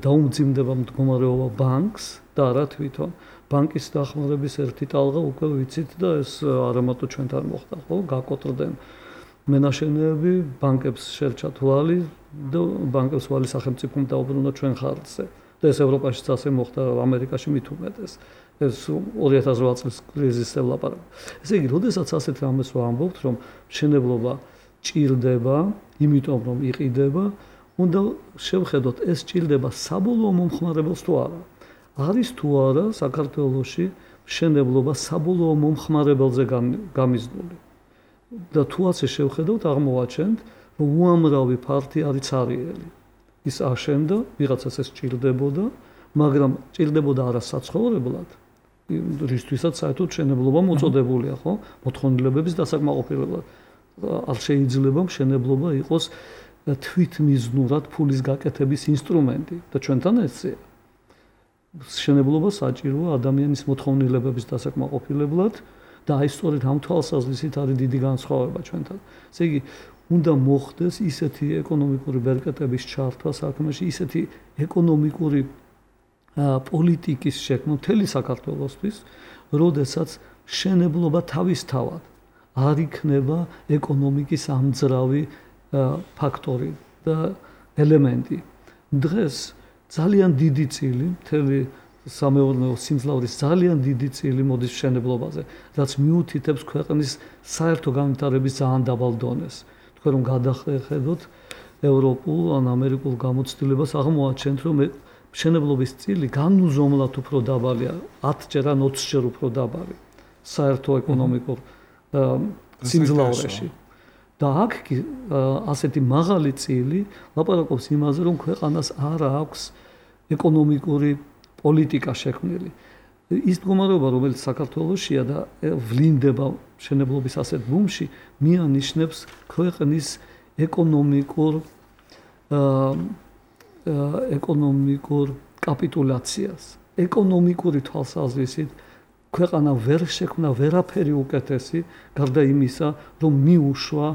დაუმძიმდება მდგომარეობა ბანკს და არა თვითონ. ბანკის დახმარების ერთი ტალღა უკვე ვიცით და ეს არამატო ჩვენთან მოხდა, ხო? გაკოტრდნენ მენაშენეები, ბანკებს შერჩათ ვალი და ბანკებს ვალი სახელმწიფომ დაუბრუნდა ჩვენ ხარჯზე. და ეს ევროპაშიც ასე მოხდა, ამერიკაში მით უმეტეს. ეს 2008 წლის კრიზისზე ვლაპარაკობ. ესე იგი, როდესაც ასეთ რამეს ვამბობთ, რომ მშენებლობა ჭირდება, იმიტომ რომ იყიდება, უნდა შევხედოთ, ეს ჭირდება საბოლოო მომხმარებელს თუ არა. არის თუ არა საქართველოში მშენებლობა საბოლოო მომხმარებელზე გამიზნული. და თუ ასე შევხედოთ, აღმოვაჩენთ, რომ უამრავი ფართი არის ცარიელი. ის აშენდა, ვიღაცას ეს ჭირდებოდა, მაგრამ ჭირდებოდა არა საცხოვრებლად. რისთვისაც საერთოდ მშენებლობა მოწოდებულია, ხო? მოთხოვნილებების დასაკმაყოფილებლად. არ შეიძლება მშენებლობა იყოს თვითმიზნურად ფულის გაკეთების ინსტრუმენტი და ჩვენთან ესეა. მშენებლობა საჭიროა ადამიანის მოთხოვნილებების დასაკმაყოფილებლად და აი სწორედ ამ თვალსაზრისით არის დიდი განსხვავება ჩვენთან. ესე იგი, უნდა მოხდეს ისეთი ეკონომიკური ბერკეტების ჩართვა საქმეში, ისეთი ეკონომიკური პოლიტიკის შექმნა მთელი საქართველოსთვის, როდესაც მშენებლობა თავისთავად არ იქნება ეკონომიკის ამძრავი ფაქტორი და ელემენტი. დღეს ძალიან დიდი წილი მთელი სამეურნეო სიმძლავრის ძალიან დიდი წილი მოდის მშენებლობაზე, რაც მიუთითებს ქვეყნის საერთო განვითარების ძალიან დაბალ დონეს. თქვენ რომ გადახედოთ ევროპულ ან ამერიკულ გამოცდილებას, აღმოაჩენთ, რომ მშენებლობის წილი განუზომლად უფრო დაბალია, 10-ჯერ ან 20-ჯერ უფრო დაბალი საერთო ეკონომიკურ სიმძლავრეში. და აქ კი ასეთი მაღალი წილი ლაპარაკობს იმაზე, რომ ქვეყანას არ აქვს ეკონომიკური პოლიტიკა შექმნილი. ის მდგომარეობა, რომელიც საქართველოშია და ვლინდება მშენებლობის ასეთ ბუმში, მიანიშნებს ქვეყნის ეკონომიკურ კაპიტულაციას. ეკონომიკური თვალსაზრისით ქვეყანა ვერ შექმნა ვერაფერი უკეთესი, გარდა იმისა, რომ მიუშვა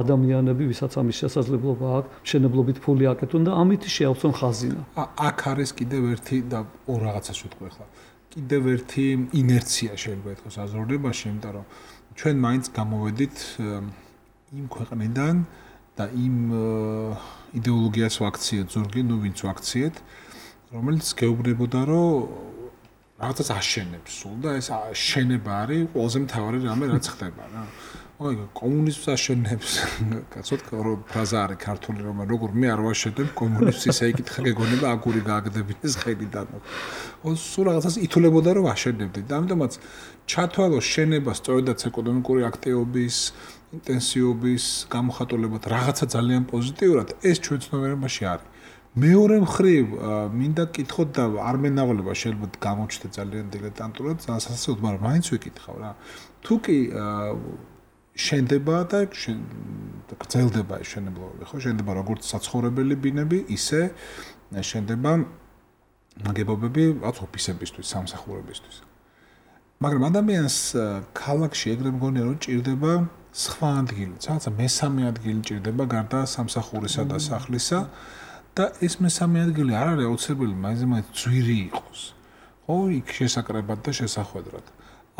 ადამიანები, ვისაც ამის შესაძლებლობა აქვს, მშენებლობით ფული აკეთონ და ამით შეავსონ ხაზინა. აქ არის კიდევ ერთი და ორ რაღაცას ვიტყვი ახლა. კიდევ ერთი ინერცია შეიძლება ითქვას აზროვნებაში, იმიტომ რომ ჩვენ მაინც გამოვედით იმ ქვეყნიდან და იმ იდეოლოგიას ვაქციეთ ზურგი, ვინც ვაქციეთ, რომელიც გეუბნებოდა, რომ რაღაცას აშენებს სულ და ეს შენება არის ყველაზე მთავარი რამე, რაც ხდება რა. ой, კომუნიზმს აშენებს. კაცოთ ფრაზა არის ქართული, რომ როგორ მე არ ვაშენებ კომუნიზმს, ისე იკითხა გეგონება აგური გააგდებინეს ხელიდან. სულ რაღაცას ითულებოდა, რომ აშენებდით. და ამიტომაც ჩათვალო შენება სწორედაც ეკონომიკური აქტივობის, ინტენსივობის გამოხატულებად რაღაცა ძალიან პოზიტიურად, ეს ჩვენ ცნობიერებაში არის. მეორე მხრივ მინდა კითხოთ და არ მენავალება შეიძლება გამოჩნდა ძალიან დილეტანტურად, ძალიან სასაცილოდ, მაგრამ მაინც ვიკითხავ რა. თუ კი შენდება და გრძელდება ეს შენებლობები, ხო? შენდება როგორც საცხოვრებელი ბინები, ისე შენდება ნაგებობები, რაც ოფისებისთვის, სამსახურებისთვის. მაგრამ ადამიანს ქალაქში ეგრე მგონია, რომ ჭირდება სხვა ადგილი, რაღაცა მესამე ადგილი ჭირდება გარდა სამსახურისა და სახლისა. და ეს მესამე ადგილი არ არის აუცილებელი მაინც ძვირი იყოს. ხო, იქ შესაკრებად და შესახვედრად.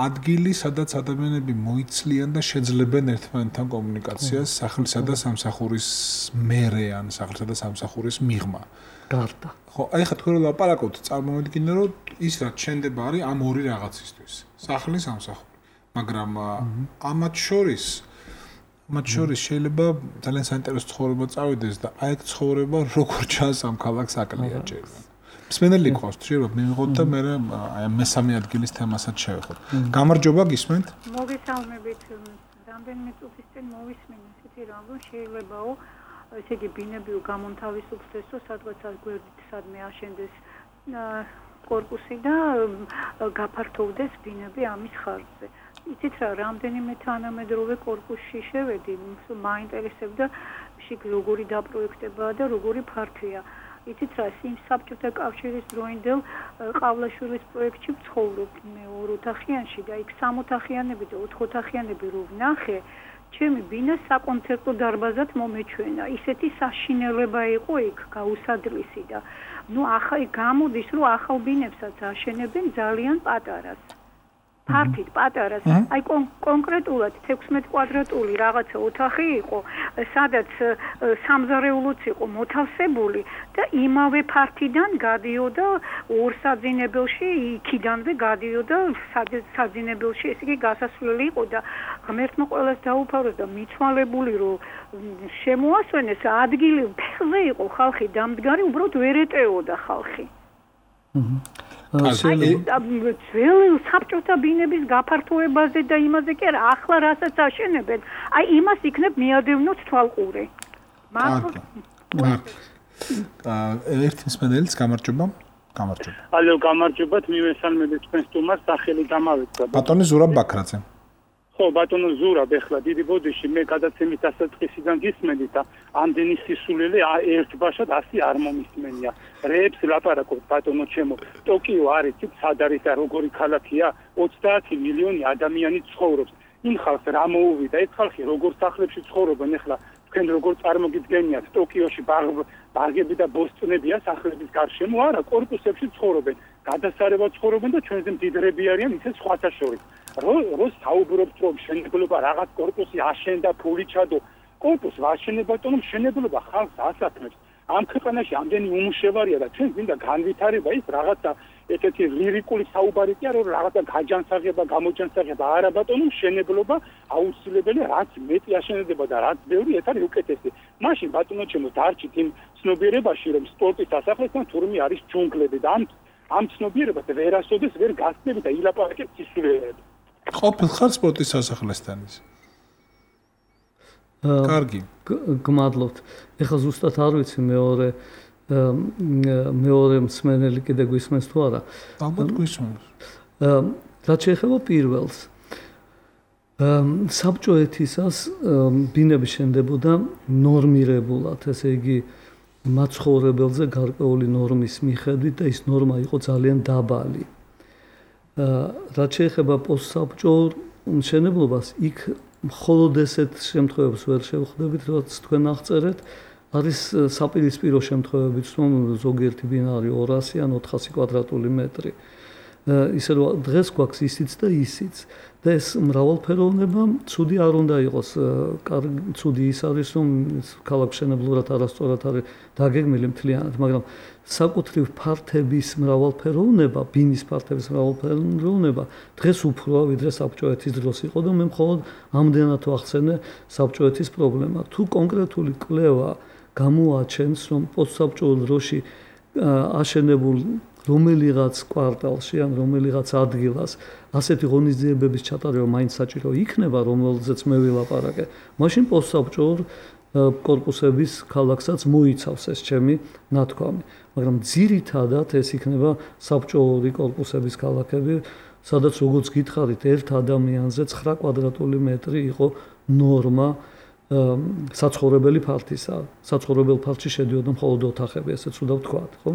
ადგილი, სადაც ადამიანები მოიცლიან და შეძლებენ ერთმანეთთან კომუნიკაციას სახლისა და სამსახურის მერე ან სახლისა და სამსახურის მიღმა. გარდა. ხო, აი ხა თქვენ ლაპარაკობთ, წარმოვიდგინე, რომ ის რაც შენდება არის ამ ორი რაღაცისთვის. სახლი, სამსახური. მაგრამ ამათ შორის შეიძლება ძალიან საინტერესო ცხოვრება წავიდეს და აი ეს ცხოვრება როგორ ჩანს ამ ქალაქს აკლიაჭერა. მსმენელი ყავს, შეიძლება მივიღოთ და მე აი მესამე ადგილის თემასაც შევეხოთ. გამარჯობა, გისმენთ? მოგესალმებით. რამდენიმე წუთის წინ მოვისმინე ისეთი რამ, რომ შეიძლებაო, ესე იგი ბინები გამონთავისუფლდესო, სადღაც გვერდით სადმე აშენდეს კორპუსი და გაფართოვდეს ბინები ამის ხარჯზე. იცით რა, რამდენიმე თანამედროვე კორპუსში შევედი, მაინტერესებდა შიგ როგორი დაპროექტებაა და როგორი ფართია. იცით რა, იმ საბჭოთა კავშირის დროინდელ ყავლაშვილის პროექტში ვცხოვრობ მე 2 ოთახიანში და იქ 3 ოთახიანები და 4 ოთახიანები რო ვნახე, ჩემი ბინა საკონცერტო დარბაზად მომეჩვენა. ისეთი საშინელება იყო იქ გაუსადლისი და ახლა გამოდის, რომ ახალ ბინებსაც აშენებენ ძალიან პატარას. ფართით პატარას, აი კონკრეტულად 16 კვადრატული რაღაცა ოთახი იყო, სადაც სამზარეულოც იყო მოთავსებული და იმავე ფართიდან გადიოდა ორ საძინებელში, იქიდანვე გადიოდა საძინებელში, ესე იგი გასასვლელი იყო და ღმერთმა ყველას დაუფაროს და მიცვალებული რომ შემოასვენეს ადგილი ფეხზე იყო ხალხი დამდგარი, უბრალოდ ვერ ეტეოდა ხალხი. ძველი საბჭოთა ბინების გაფართოებაზე და იმაზე კი არა, ახლა რასაც აშენებენ, აი იმას იქნებ მიადევნოთ თვალყური. ერთი მსმენელიც გამარჯობა. ალო, გამარჯობათ, მივესალმებით თქვენ სტუმარს, სახელი გამავეცდა. ბატონი ზურაბ ბაქრაძე. ხო, ბატონო ზურაბ, ეხლა დიდი ბოდიში მე გადაცემის დასაწყისიდან გისმენდი და ამდენი სისულელე ერთბაშად 100 არ მომისმენია. რეებს ლაპარაკობთ ბატონო ჩემო. ტოკიო არის სად არის და როგორი ქალაქია? 30 მილიონი ადამიანი ცხოვრობს. იმ ხალხს რა მოუვიდა? ეს ხალხი როგორ სახლებში ცხოვრობენ ეხლა? თქვენ როგორ წარმოგიდგენიათ ტოკიოში ბაღები და ბოსტნებია სახლების გარშემო? არა, კორპუსებში ცხოვრობენ. გადასარევად ცხოვრობენ და ჩვენზე მდიდრები არიან ისე სხვათა შორის. რო საუბრობთ რომ შენებლობა რაღაც კორპუსი აშენდა ფული ჩადო კორპუსს ვაშენებ ბატონო მშენებლობა ხალხს ასათმებს ამ ქვეყანაში ამდენი უმუშევარია და ჩვენ მინდა განვითარება ის რაღაცა ესეთი ლირიკული საუბარი კი არა რომ რაღაცა გაჯანსაღება გამოჯანსაღება არა ბატონო მშენებლობა აუცილებელი რაც მეტი აშენდება და რაც ბევრი ეს არის უკეთესი მაშინ ბატონო ჩემო დარჩით იმ ცნობიერებაში რომ სპორტის დასახლებთან თურმე არის ჯუნგლები და ამ ცნობიერებას ვერასოდეს ვერ გასწრები და ილაპარაკებთ სისულელეები ყოფილ ხარ სპორტის სასახლესთან ის. კარგი. გმადლობთ. ეხლა ზუსტად არ ვიცი მეორე მსმენელი კიდე გვისმენს თუ არა. ალბათ გვისმენს. რაც შეეხება პირველს. საბჭოეთისას ბინები შენდებოდა ნორმირებულად, ესე იგი მაცხოვრებელზე გარკვეული ნორმის მიხედვით და ის ნორმა იყო ძალიან დაბალი. რაც შეეხება პოსტსაბჭოურ მშენებლობას, იქ მხოლოდ ესეთ შემთხვევებს ვერ შევხვდებით, რაც თქვენ აღწერეთ, არის საპირისპირო შემთხვევებიც, რომ ზოგიერთი ბინა არის 200 ან 400 კვადრატული მეტრი. ისე რომ დღეს გვაქვს ისიც და ისიც. და ეს მრავალფეროვნება ცუდი არ უნდა იყოს. ცუდი ის არის, რომ ქალაქ მშენებლურად არასწორად არის დაგეგმილი მთლიანად, მაგრამ საკუთრივ ფართების მრავალფეროვნება, ბინის ფართების მრავალფეროვნება დღეს უფროა, ვიდრე საბჭოეთის დროს იყო და მე მხოლოდ ამდენად ვახსენე საბჭოეთის პრობლემა. თუ კონკრეტული კვლევა გამოაჩენს, რომ პოსტსაბჭოურ დროში აშენებულ რომელიღაც კვარტალში ან რომელიღაც ადგილას ასეთი ღონისძიებების ჩატარება მაინც საჭირო იქნება, რომელზეც მე ვილაპარაკე. მაშინ პოსტსაბჭოურ კორპუსების ქალაქსაც მოიცავს ეს ჩემი ნათქვამი. მაგრამ ძირითადად ეს იქნება საბჭოური კორპუსების ქალაქები, სადაც როგორც გითხარით, ერთ ადამიანზე 9 კვადრატული მეტრი იყო ნორმა საცხოვრებელი ფართისა. საცხოვრებელ ფართში შედიოდა მხოლოდ ოთახები, ესეც უნდა ვთქვათ, ხო?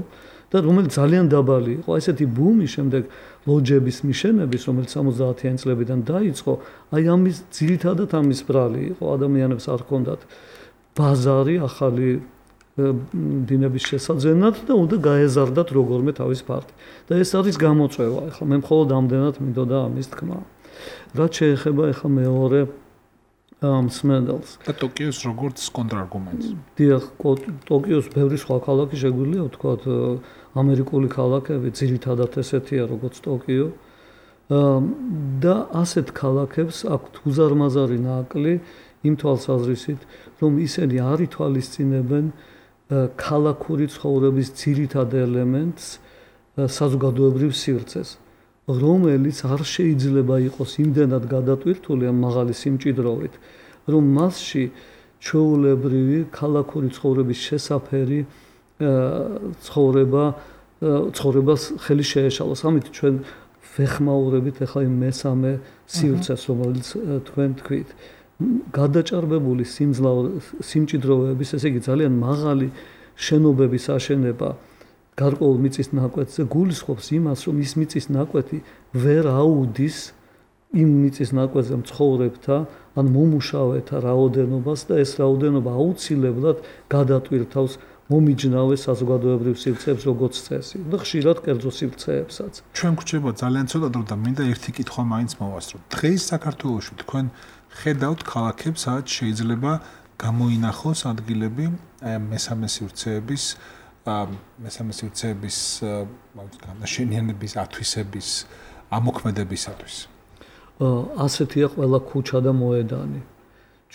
და რომელიც ძალიან დაბალი იყო. ესეთი ბუმი შემდეგ ლოჯების მიშენების, რომელიც 70-იანი წლებიდან დაიწყო, აი ამის ძირითადად ამის ბრალი იყო. ადამიანებს არ ჰქონდათ ბაზარი ახალი დინების შესაძენად და უნდა გაეზარდათ როგორმე თავის ფართი. და ეს არის გამოწვევა. ახლა მე მხოლოდ ამდენად მინდოდა ამის თქმა. რაც შეეხება ახლა მეორე მსმენელს და ტოკიოს როგორც კონტრარგუმენტს. დიახ, ტოკიოს ბევრი სხვა ქალაქი შეგვიძლია ვთქვათ, ამერიკული ქალაქები ძირითადად ესეთია როგორც ტოკიო. და ასეთ ქალაქებს აქვთ უზარმაზარი ნაკლი იმ თვალსაზრისით, რომ ისინი არ ითვალისწინებენ ქალაქური ცხოვრების ძირითად ელემენტს, საზოგადოებრივ სივრცეს, რომელიც არ შეიძლება იყოს იმდენად გადატვირთული ამ მაღალი სიმჭიდროვით, რომ მასში ჩვეულებრივი ქალაქური ცხოვრების შესაფერი ცხოვრებას ხელი შეეშალოს. ამით ჩვენ ვეხმაურებით ახლა იმ მესამე სივრცეს, რომელიც თქვენ თქვით. გადაჭარბებული სიმჭიდროვეების, ესე იგი ძალიან მაღალი შენობების აშენება გარკვეულ მიწის ნაკვეთზე გულისხმობს იმას, რომ ის მიწის ნაკვეთი ვერ აუდის იმ მიწის ნაკვეთზე მცხოვრებთა ან მომუშავეთა რაოდენობას და ეს რაოდენობა აუცილებლად გადატვირთავს მომიჯნავე საზოგადოებრივ სივრცეებს როგორც წესი და ხშირად კერძო სივრცეებსაც. ჩვენ გვჭირდება ძალიან ცოტა დრო და მინდა ერთი კითხვა მაინც მოვასწრო. დღეს საქართველოში თქვენ ხედავთ ქალაქებს, სადაც შეიძლება გამოინახოს ადგილები მესამე სივრცეების განაშენიანების ათვისების ამოქმედებისათვის. ასეთია ყველა ქუჩა და მოედანი.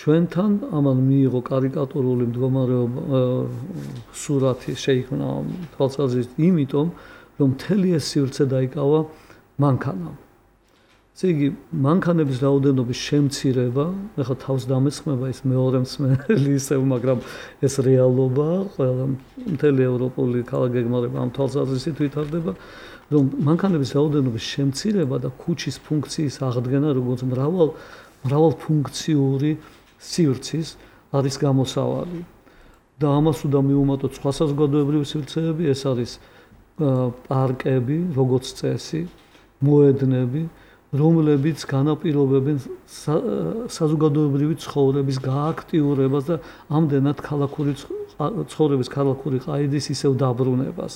ჩვენთან ამან მიიღო კარიკატურული მდგომარეობა სურათი შეიქმნა თვალსაზრისით, იმიტომ რომ მთელი ეს სივრცე დაიკავა მანქანამ. ესე იგი, მანქანების რაოდენობის შემცირება, ახლა თავს დამესხმება ის მეორე მსმენელი ისევ, მაგრამ ეს რეალობაა, ყველა მთელი ევროპული ქალაქგეგმარება ამ თვალსაზრისით ვითარდება, რომ მანქანების რაოდენობის შემცირება და ქუჩის ფუნქციის აღდგენა, როგორც მრავალფუნქციური სივრცის არის გამოსავალი. და ამას უნდა მივუმატოთ სხვა საზოგადოებრივი სივრცეები, ეს არის პარკები, როგორც წესი, მოედნები, რომლებიც განაპირობებენ საზოგადოებრივი ცხოვრების გააქტიურებას და ამდენად ქალაქური ცხოვრების ქალაქური ყაიდის ისევ დაბრუნებას.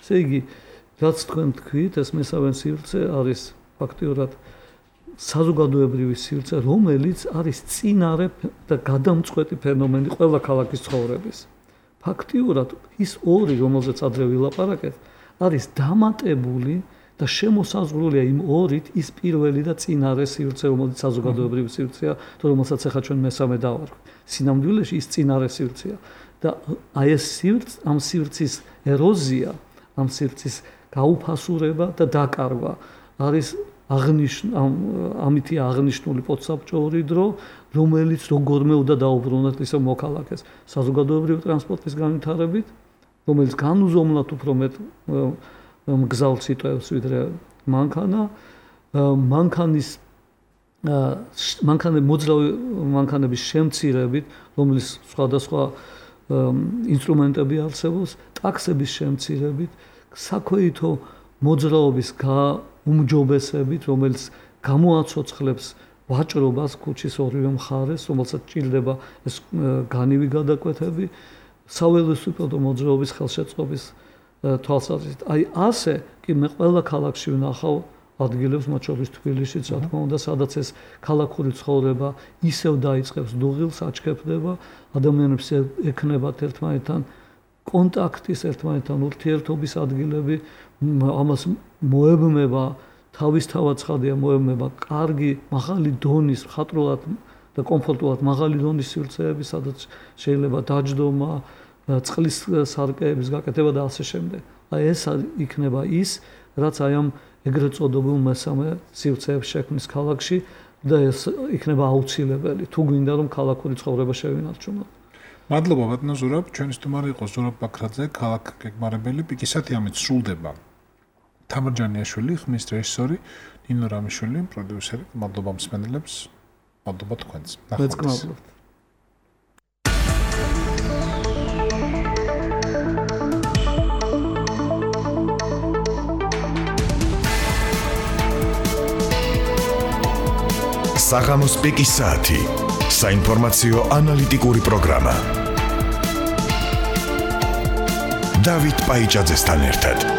ესე იგი, რაც თქვენ თქვით, ეს მესამე სივრცე არის ფაქტიურად საზოგადოებრივი სივრცე, რომელიც არის წინარე და გადამწყვეტი ფენომენი ყველა ქალაქის ცხოვრების. ფაქტიურად ის ორი, რომელზეც ადრე ვილაპარაკეთ, არის დამატებული და შემოსაზღვრულია იმ ორით ის პირველი და წინარე სივრცე, რომელიც საზოგადოებრივი სივრცეა, თუ რომელსაც ახლა ჩვენ მესამე დავარქვით. სინამდვილეში ის წინარე სივრცეა და აი ეს ამ სივრცის ეროზია, ამ სივრცის გაუფასურება და დაკარგვა არის ამითი აღნიშნული პოსტსაბჭოური დრო, რომელიც როგორმე უნდა დაუბრუნოთ ისევ მოქალაქეს საზოგადოებრივი ტრანსპორტის განვითარებით, რომელიც განუზომლად უფრო მეტ მგზავრს იტევს ვიდრე მანქანა, მოძრავი მანქანების შემცირებით, რომელიც სხვადასხვა ინსტრუმენტები არსებობს, ტაქსების შემცირებით, საქვეითო მოძრაობის უმჯობესებით, რომელიც გამოაცოცხლებს ვაჭრობას ქუჩის ორივე მხარეს, რომელსაც ჭირდება ეს განივი გადაკვეთები, საველოსიპედო მოძრაობის ხელშეწყობის თვალსაზრისით. აი ასე კი მე ყველა ქალაქში ვნახავ ადგილებს, მათ შორის თბილისშიც, რა თქმა უნდა, სადაც ეს ქალაქური ცხოვრება ისევ დაიწყებს დუღილს, აჩქეფდება, ადამიანებს ექნებათ ერთმანეთთან კონტაქტის, ერთმანეთთან ურთიერთობის ადგილები, ამას მოებმება თავისთავად ცხადია მოებმება კარგი, მაღალი დონის, მხატვრულად და კომფორტულად მაღალი დონის სივრცეები, სადაც შეიძლება დაჯდომა, წყლის სარკეების გაკეთება და ასე შემდეგ. აი ეს იქნება ის, რაც აი ამ ეგრეთ წოდებულ მესამე სივრცეების შექმნის ქალაქში და ეს იქნება აუცილებელი, თუ გვინდა რომ ქალაქური ცხოვრება შევინარჩუნოთ. მადლობა ბატონო ზურაბ, ჩვენი სტუმარი იყო ზურაბ ბაქრაძე, ქალაქ გეგმარებელი, პიკისათი ამით სრულდება. თამარ ჯანიაშვილი, ხმის რეჟისორი, ნინო რამიშვილი, პროდიუსერი. მადლობა მსმენელებს, მადლობა თქვენს. ნახევარს. საღამოს პიკის საათი. საინფორმაციო ანალიტიკური პროგრამა. დავით პაიჭაძესთან ერთად.